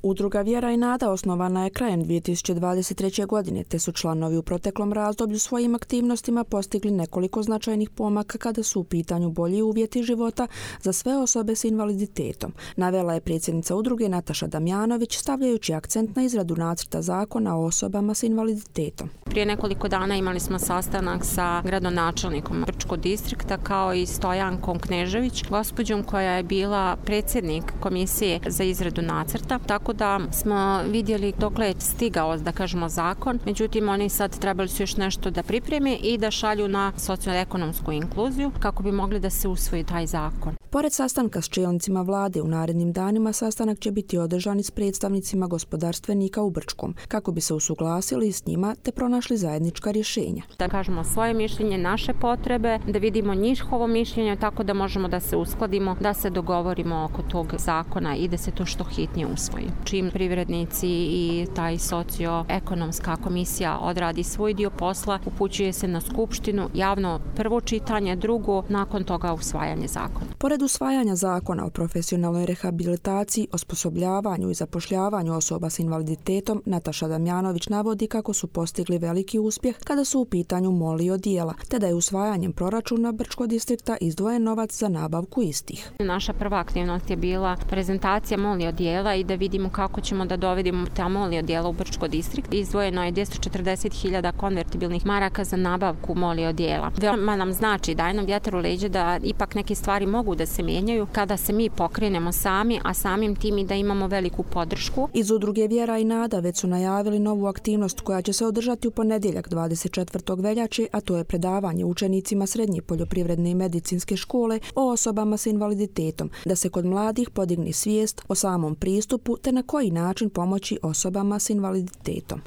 Udruga Vjera i nada osnovana je krajem 2023. godine, te su članovi u proteklom razdoblju svojim aktivnostima postigli nekoliko značajnih pomaka kada su u pitanju bolji uvjeti života za sve osobe s invaliditetom, navela je predsjednica udruge Nataša Damjanović, stavljajući akcent na izradu nacrta zakona o osobama s invaliditetom. Prije nekoliko dana imali smo sastanak sa gradonačelnikom Brčkog distrikta kao i Stojankom Knežević, gospođom koja je bila predsjednik komisije za izradu nacrta, tako da smo vidjeli dokle je stigao, da kažemo, zakon. Međutim, oni sad trebali su još nešto da pripreme i da šalju na socioekonomsku inkluziju kako bi mogli da se usvoji taj zakon. Pored sastanka s čelnicima vlade u narednim danima, sastanak će biti održan i s predstavnicima gospodarstvenika u Brčkom, kako bi se usuglasili s njima te pronašli zajednička rješenja. Da kažemo svoje mišljenje, naše potrebe, da vidimo njihovo mišljenje, tako da možemo da se uskladimo, da se dogovorimo oko tog zakona i da se to što hitnije usvoji. Čim privrednici i taj socioekonomska komisija odradi svoj dio posla, upućuje se na skupštinu, javno prvo čitanje, drugo, nakon toga usvajanje zakona. Pored usvajanja zakona o profesionalnoj rehabilitaciji, osposobljavanju i zapošljavanju osoba s invaliditetom, Nataša Damjanović navodi kako su postigli veliki uspjeh kada su u pitanju moli odijela, te da je usvajanjem proračuna Brčkog distrikta izdvojen novac za nabavku istih. Naša prva aktivnost je bila prezentacija moli odijela i da vidimo kako ćemo da dovedemo ta moli odijela u Brčkog distrikt. Izdvojeno je 240.000 konvertibilnih maraka za nabavku moli odijela. Veoma nam znači, daje nam vjetar u leđa da ipak neke stvari mogu da se mijenjaju kada se mi pokrenemo sami, a samim tim i da imamo veliku podršku. Iz udruge Vjera i nada već su najavili novu aktivnost koja će se održati u ponedjeljak 24. veljače, a to je predavanje učenicima Srednje poljoprivredne i medicinske škole o osobama s invaliditetom, da se kod mladih podigne svijest o samom pristupu te na koji način pomoći osobama s invaliditetom.